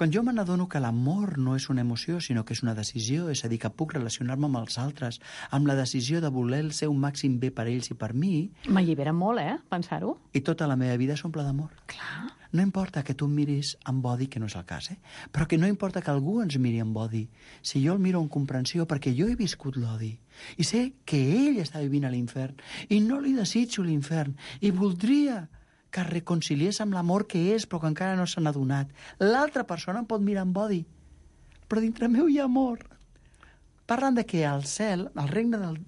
quan jo me n'adono que l'amor no és una emoció, sinó que és una decisió, és a dir, que puc relacionar-me amb els altres, amb la decisió de voler el seu màxim bé per ells i per mi... M'allibera molt, pensar-ho. I tota la meva vida s'omple d'amor. Clar. No importa que tu em miris amb odi, que no és el cas, però que no importa que algú ens miri amb odi. Si jo el miro amb comprensió, perquè jo he viscut l'odi, i sé que ell està vivint a l'infern, i no li desitjo l'infern, i voldria que es reconciliés amb l'amor que és, però que encara no se n'ha donat. L'altra persona em pot mirar amb odi, però dintre meu hi ha amor. Parlen de que al cel, el regne del...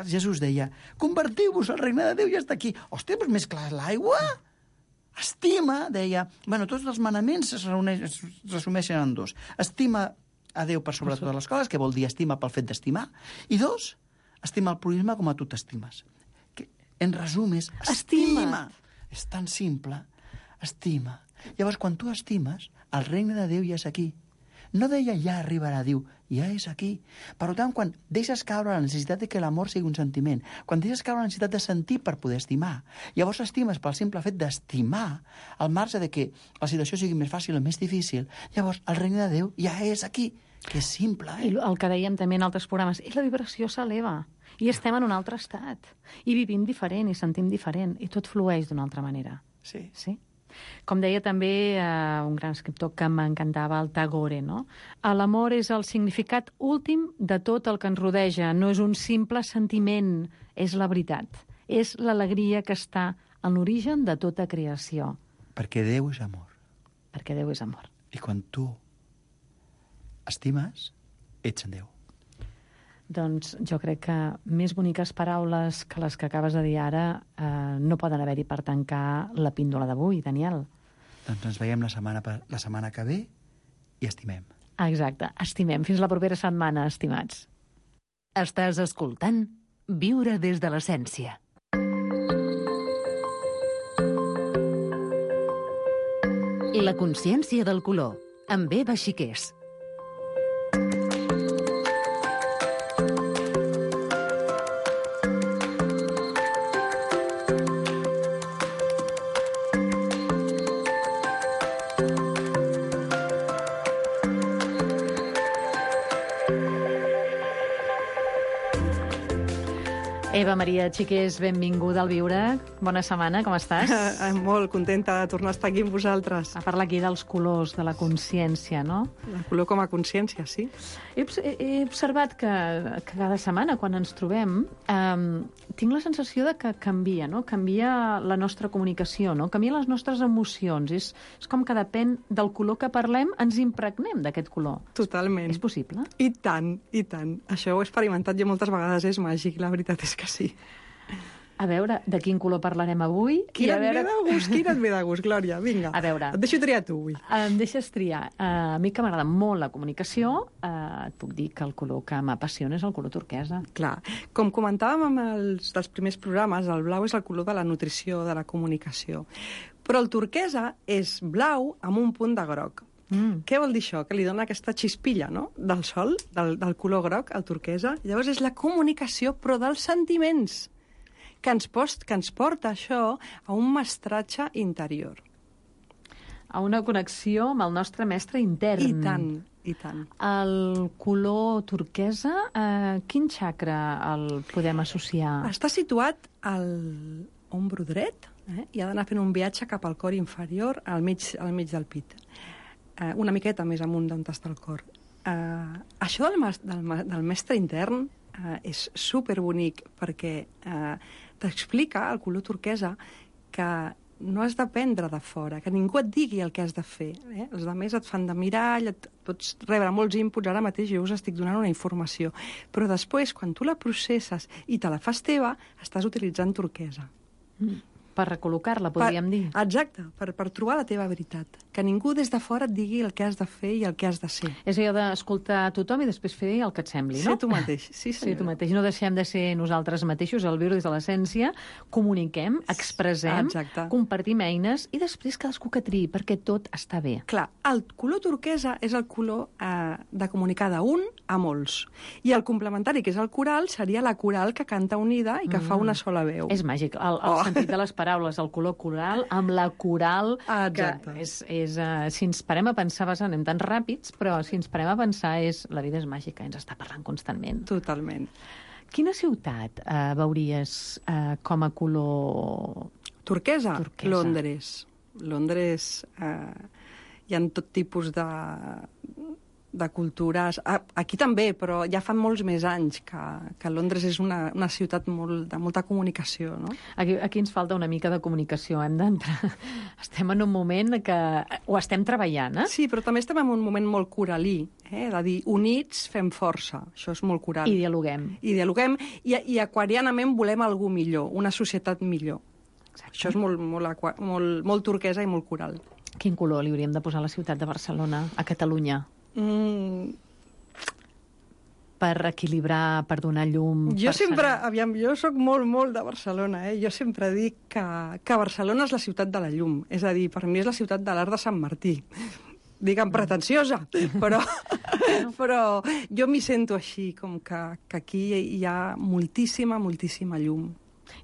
Jesús deia, convertiu-vos, el regne de Déu ja està aquí. Hòstia, però més clar l'aigua? Estima, deia... Bueno, tots els manaments es resumeixen en dos. Estima a Déu per sobre totes les coses, que vol dir estima pel fet d'estimar, i dos, estima el purisme com a tu t'estimes. En resum és estima. És tan simple. Estima. Llavors, quan tu estimes, el regne de Déu ja és aquí. No deia ja arribarà, diu, ja és aquí. Per tant, quan deixes caure la necessitat de que l'amor sigui un sentiment, quan deixes caure la necessitat de sentir per poder estimar, llavors estimes pel simple fet d'estimar, al marge de que la situació sigui més fàcil o més difícil, llavors el regne de Déu ja és aquí. Que és simple, I el que dèiem també en altres programes, i la vibració s'eleva, i estem en un altre estat, i vivim diferent, i sentim diferent, i tot flueix d'una altra manera. Sí. Sí? Com deia també un gran escriptor que m'encantava, el Tagore, no? L'amor és el significat últim de tot el que ens rodeja, no és un simple sentiment, és la veritat, és l'alegria que està en l'origen de tota creació. Perquè Déu és amor. Perquè Déu és amor. I quan tu estimes, ets en Déu. Doncs jo crec que més boniques paraules que les que acabes de dir ara no poden haver-hi per tancar la píndola d'avui, Daniel. Doncs ens veiem la setmana que ve i estimem. Exacte, estimem. Fins la propera setmana, estimats. Estàs escoltant Viure des de l'essència. La consciència del color, amb Eva Xiquers. Eva Maria Xiquers, benvinguda al Viure. Bona setmana, com estàs? Molt contenta de tornar a estar aquí amb vosaltres. A parlar aquí dels colors, de la consciència, no? El color com a consciència, sí. He observat que cada setmana, quan ens trobem, tinc la sensació de que canvia, no? Canvia la nostra comunicació, no? Canvien les nostres emocions. És com que depèn del color que parlem, ens impregnem d'aquest color. Totalment. És possible? I tant, i tant. Això ho he experimentat jo moltes vegades, és màgic, la veritat és que sí. A veure, de quin color parlarem avui? Quin et ve de gust, Glòria? Vinga, a veure, et deixo triar tu avui. Em deixes triar. A mi que m'agrada molt la comunicació, et puc dir que el color que m'apassiona és el color turquesa. Clar, com comentàvem en els dels primers programes, el blau és el color de la nutrició, de la comunicació. Però el turquesa és blau amb un punt de groc. Què vol dir això? Que li dona aquesta xispilla, no?, del sol, del color groc, al turquesa. Llavors és la comunicació, però dels sentiments, que ens porta això a un mestratge interior. A una connexió amb el nostre mestre intern. I tant, i tant. El color turquesa, quin xacra el podem associar? Està situat al ombro dret, i ha d'anar fent un viatge cap al cor inferior, al mig del pit. Una miqueta més amunt d'on està el cor. Això del mestre intern és superbonic perquè t'explica, el color turquesa, que no has d'aprendre de fora, que ningú et digui el que has de fer. Els altres et fan de mirall, pots rebre molts inputs, ara mateix jo us estic donant una informació, però després, quan tu la processes i te la fas teva, estàs utilitzant turquesa. Per recol·locar-la, podríem dir. Exacte, per trobar la teva veritat. Que ningú des de fora et digui el que has de fer i el que has de ser. És allò d'escoltar a tothom i després fer el que et sembli, no? Ser tu mateix, sí, senyora. Ser tu mateix. No deixem de ser nosaltres mateixos, el viure des de l'essència, comuniquem, expressem, compartim eines i després cadascú que triï, perquè tot està bé. Clar, el color turquesa és el color de comunicar d'un a molts. I el complementari, que és el coral, seria la coral que canta unida i que fa una sola veu. És màgic. El sentit de les paraules, el color coral, amb la coral, exacte. Que si ens parem a pensar, anem tan ràpids, però si ens parem a pensar, la vida és màgica, ens està parlant constantment. Totalment. Quina ciutat veuries com a color... Turquesa? Londres. Londres hi ha tot tipus de cultures. Aquí també, però ja fa molts més anys que Londres és una ciutat de molta comunicació, no? Aquí ens falta una mica de comunicació. Hem d'entrar... Estem en un moment que ho estem treballant, eh? Sí, però també estem en un moment molt coralí, de dir, units fem força. Això és molt coral. I dialoguem. I dialoguem, i aquarianament volem algú millor, una societat millor. Exacte. Això és molt turquesa i molt coral. Quin color li hauríem de posar a la ciutat de Barcelona, a Catalunya? Per equilibrar, per donar llum... Jo soc molt de Barcelona, Jo sempre dic que Barcelona és la ciutat de la llum. És a dir, per mi és la ciutat de l'Arc de Sant Martí. Digue'm pretensiosa, però jo m'hi sento així, com que aquí hi ha moltíssima llum.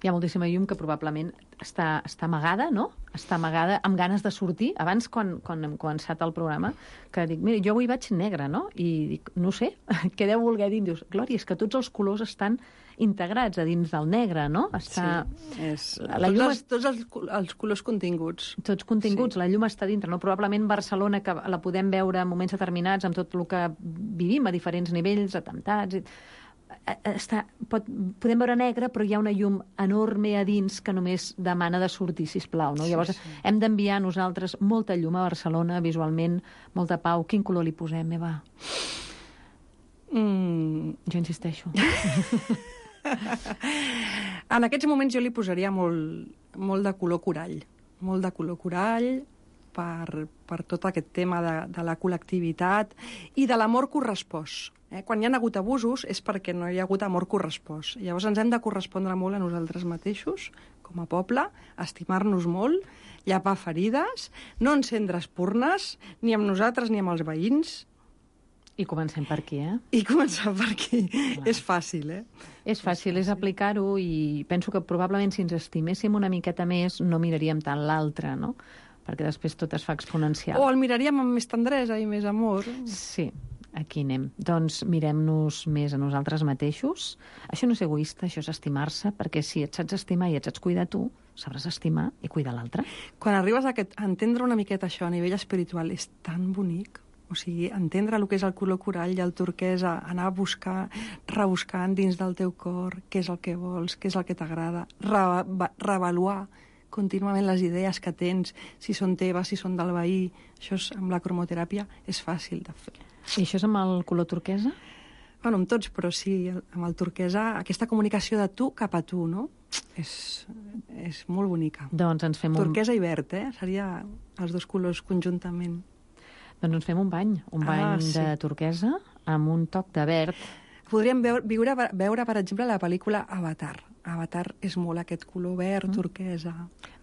Hi ha moltíssima llum que probablement està amagada, no? Està amagada amb ganes de sortir. Abans, quan hem començat el programa, que dic, mira, jo avui vaig negre, no? I dic, no sé, què deu voler dir? Dius, Glòria, és que tots els colors estan integrats a dins del negre, no? Tots els colors continguts. Tots continguts, sí. La llum està dintre, no? Probablement Barcelona, que la podem veure en moments determinats, amb tot el que vivim a diferents nivells, atemptats... podem veure negre, però hi ha una llum enorme a dins que només demana de sortir, sisplau, no? Llavors, hem d'enviar nosaltres molta llum a Barcelona, visualment, molta pau. Quin color li posem, Eva? Jo insisteixo. En aquests moments jo li posaria molt de color corall. Molt de color corall per tot aquest tema de la col·lectivitat i de l'amor correspost. Quan hi ha hagut abusos és perquè no hi ha hagut amor correspost. Llavors ens hem de correspondre molt a nosaltres mateixos, com a poble, estimar-nos molt, llapar ferides, no encendre espurnes, ni amb nosaltres ni amb els veïns. I comencem per aquí, I començar per aquí. Clar. És fàcil, És fàcil, és aplicar-ho, i penso que probablement si ens estiméssim una miqueta més no miraríem tant l'altre, no? Perquè després tot es fa exponencial. O el miraríem amb més tendresa i més amor. Sí. Aquí anem. Doncs mirem-nos més a nosaltres mateixos. Això no és egoista, això és estimar-se, perquè si et saps estimar i et saps cuidar tu, sabràs estimar i cuidar l'altre. Quan arribes a entendre una miqueta això a nivell espiritual és tan bonic. O sigui, entendre el que és el color corall i el turquesa, anar a buscar, rebuscant dins del teu cor què és el que vols, què és el que t'agrada, reavaluar contínuament les idees que tens, si són teves, si són del veí. Això amb la cromoteràpia és fàcil de fer. I això és amb el color turquesa? Bueno, amb tots, però sí, amb el turquesa, aquesta comunicació de tu cap a tu, no? És molt bonica. Doncs ens fem turquesa i verd, Seria els dos colors conjuntament. Doncs ens fem un bany de turquesa amb un toc de verd. Podríem veure, per exemple, la pel·lícula Avatar. Avatar és molt aquest color verd, turquesa.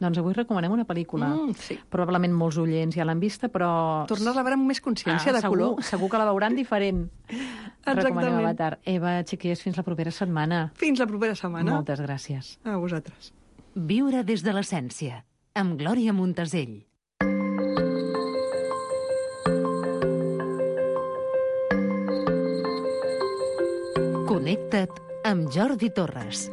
Doncs avui recomanem una pel·lícula. Sí. Probablement molts oients ja l'han vista, però... Tornar-la a veure amb més consciència de color. Segur que la veuran diferent. Exactament. Recomanem Avatar. Eva, xiquilles, fins la propera setmana. Fins la propera setmana. Moltes gràcies. A vosaltres. Viure des de l'essència, amb Glòria Montasell. Connecta't amb Jordi Torres.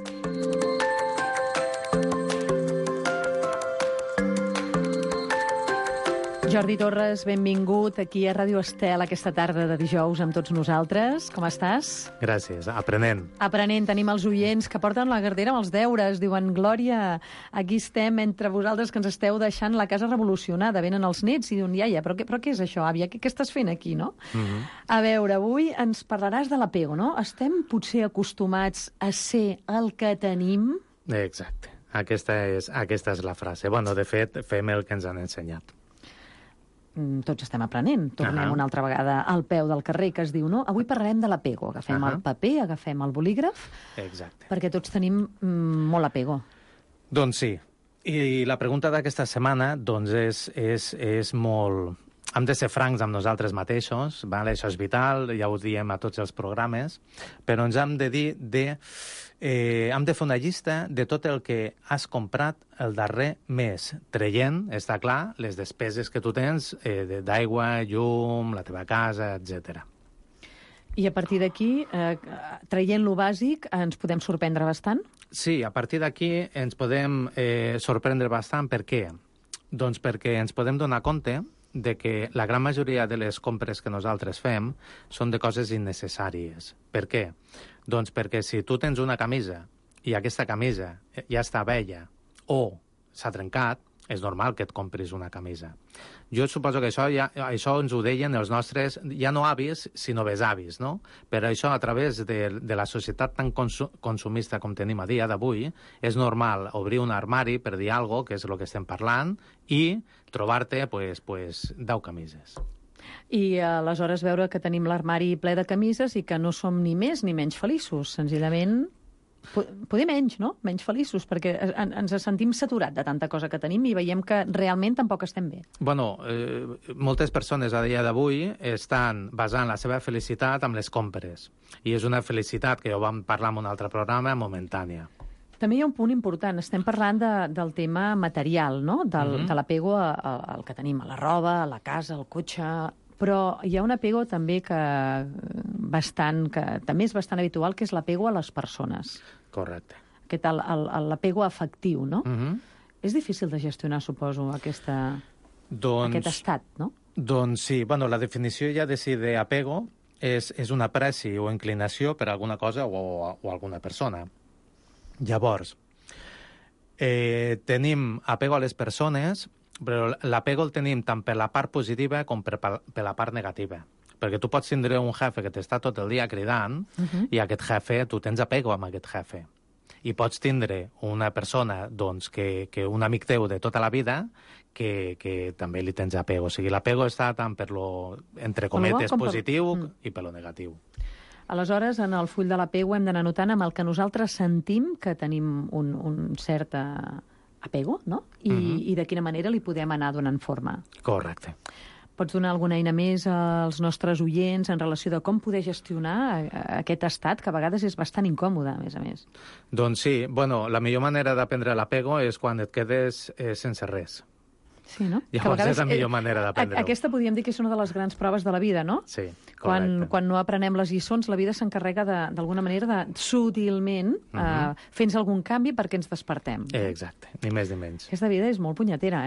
Jordi Torres, benvingut aquí a Ràdio Estel aquesta tarda de dijous amb tots nosaltres. Com estàs? Gràcies, aprenent. Aprenent, tenim els oients que porten la gardera amb els deures. Diuen, Glòria, aquí estem entre vosaltres que ens esteu deixant la casa revolucionada. Venen els nets i diuen, iaia, però què és això, àvia? Què estàs fent aquí, no? A veure, avui ens parlaràs de l'apego, no? Estem potser acostumats a ser el que tenim? Exacte. Aquesta és la frase. Bueno, de fet, fem el que ens han ensenyat. Tots estem aprenent. Tornem una altra vegada al peu del carrer, que es diu, no? Avui parlarem de l'apego. Agafem el paper, agafem el bolígraf, Exacte. perquè tots tenim molt apego. Doncs sí. I la pregunta d'aquesta setmana doncs és molt... Hem de ser francs amb nosaltres mateixos, vale? Això és vital, ja ho diem a tots els programes, però ens hem de dir hem de fer una llista de tot el que has comprat el darrer mes, traient, està clar, les despeses que tu tens d'aigua, llum, la teva casa, etc. I a partir d'aquí, traient lo bàsic, ens podem sorprendre bastant? Sí, a partir d'aquí ens podem sorprendre bastant. Per què? Doncs perquè ens podem donar compte de que la gran majoria de les compres que nosaltres fem són de coses innecessàries. Per què? Doncs perquè si tu tens una camisa i aquesta camisa ja està vella o s'ha trencat, és normal que et compris una camisa. Jo suposo que això ens ho deien els nostres, ja no avis, sinó besavis, no? Per això, a través de la societat tan consumista com tenim a dia d'avui, és normal obrir un armari per dir alguna cosa, que és el que estem parlant, i trobar-te, pues, 10 camises. I aleshores veure que tenim l'armari ple de camises i que no som ni més ni menys feliços. Senzillament, poder menys, no? Menys feliços, perquè ens sentim saturats de tanta cosa que tenim i veiem que realment tampoc estem bé. Bueno, moltes persones a dia d'avui estan basant la seva felicitat amb les compres. I és una felicitat, que ja ho vam parlar en un altre programa, momentània. També hi ha un punt important. Estem parlant del tema material, no? De l'apego al que tenim, a la roba, a la casa, al cotxe... Però hi ha un apego també que també és bastant habitual, que és l'apego a les persones. Correcte. L'apego afectiu, no? És difícil de gestionar, suposo, aquest estat, no? Doncs sí. Bueno, la definició ja de si d'apego és una apreci o inclinació per alguna cosa o alguna persona. Llavors, tenim apego a les persones, però l'apego el tenim tant per la part positiva com per la part negativa. Perquè tu pots tindre un jefe que t'està tot el dia cridant i aquest jefe, tu tens apego amb aquest jefe. I pots tindre una persona, doncs, que un amic teu de tota la vida que també li tens apego. O sigui, l'apego està tant per lo, entre cometes, positiu i per lo negatiu. Aleshores, en el full de l'apego hem d'anar notant amb el que nosaltres sentim que tenim un cert apego, no? I de quina manera li podem anar donant forma. Correcte. Pots donar alguna eina més als nostres oients en relació de com poder gestionar aquest estat, que a vegades és bastant incòmode, a més. Doncs sí. Bueno, la millor manera d'aprendre l'apego és quan et quedes sense res. Sí, no? Llavors és la millor manera d'aprendre-ho. Aquesta podríem dir que és una de les grans proves de la vida, no? Sí, correcte. Quan no aprenem les lliçons, la vida s'encarrega d'alguna manera de sutilment fer-nos algun canvi perquè ens despertem. Exacte, ni més ni menys. Aquesta vida és molt punyetera,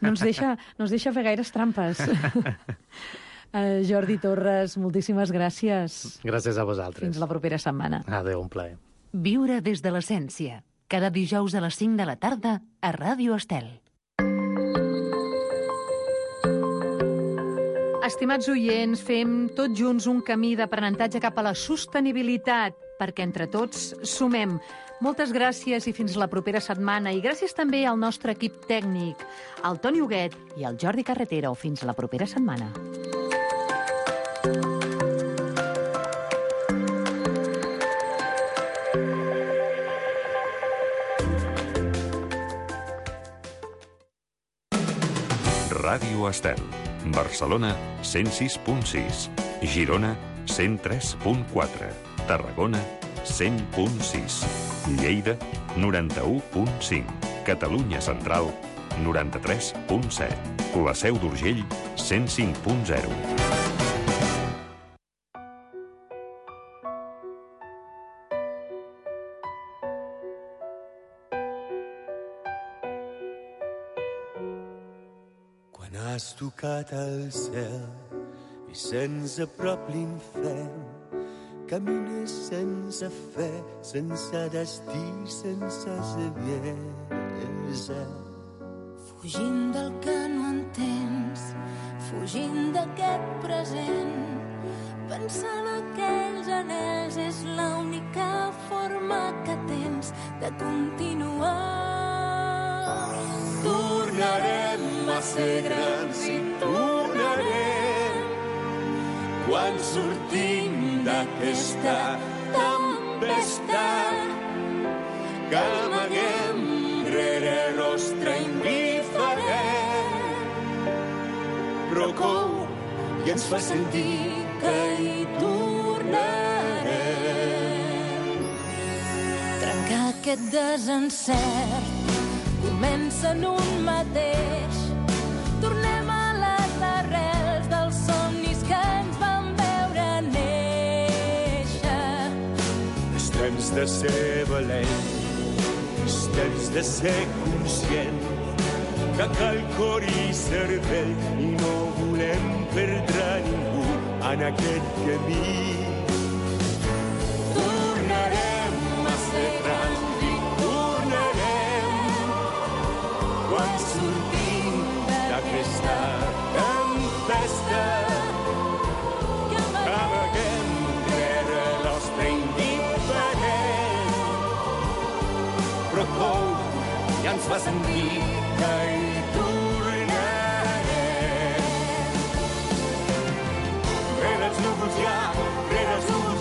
No ens deixa fer gaires trampes. Jordi Torres, moltíssimes gràcies. Gràcies a vosaltres. Fins la propera setmana. Adéu, un plaer. Viure des de l'essència. Cada dijous a les 5 de la tarda a Ràdio Estel. Estimats oients, fem tots junts un camí d'aprenentatge cap a la sostenibilitat, perquè entre tots sumem. Moltes gràcies i fins la propera setmana. I gràcies també al nostre equip tècnic, al Toni Huguet i al Jordi Carretero. Fins la propera setmana. Ràdio Estel. Barcelona, 106.6. Girona, 103.4. Tarragona, 100.6. Lleida, 91.5. Catalunya Central, 93.7. La Seu d'Urgell, 105.0. Has tocat el cel i se'ns aprop l'infern. Camines sense fe, sense destí, sense saviesa. Fugint del que no entens, fugint d'aquest present, pensant aquells anells és l'única forma que tens de continuar. tornarem a ser grans i tornarem quan sortim d'aquesta tempesta que amaguem rere rostre indiferent, però cou i ens fa sentir que hi tornarem. Trencar aquest desencert comença en un mateix. Tornem a les arrels dels somnis que ens van veure néixer. És temps de ser valent, és temps de ser conscient, que cal cor i cervell i no volem perdre ningú en aquest camí. Tornarem a ser grans i tornarem quan sortim d'aquesta tempesta que amaguem rere l'ostre indiferent, però cou i ens fa sentir que hi tornarem. Rere els núvols hi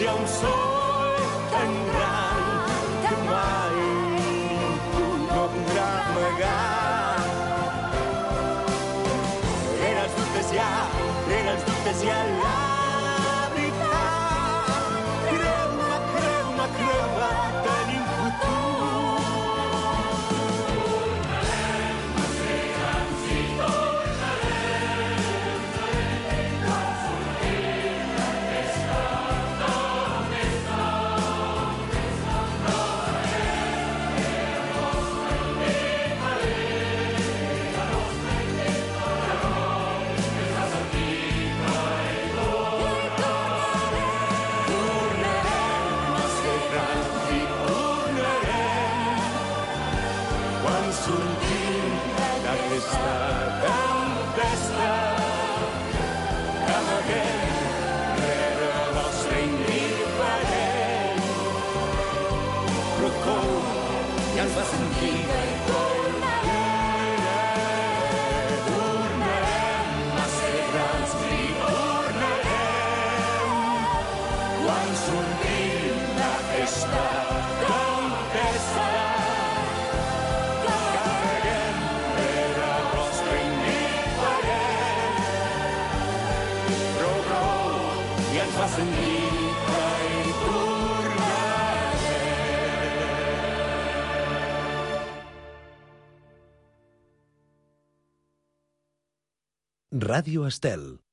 ha un sol tan gran que mai ningú no podrà amagar. Rere els dubtes hi ha la veritat. Creu-me, creu-me, creu-me, tenim futur. Ràdio Estel.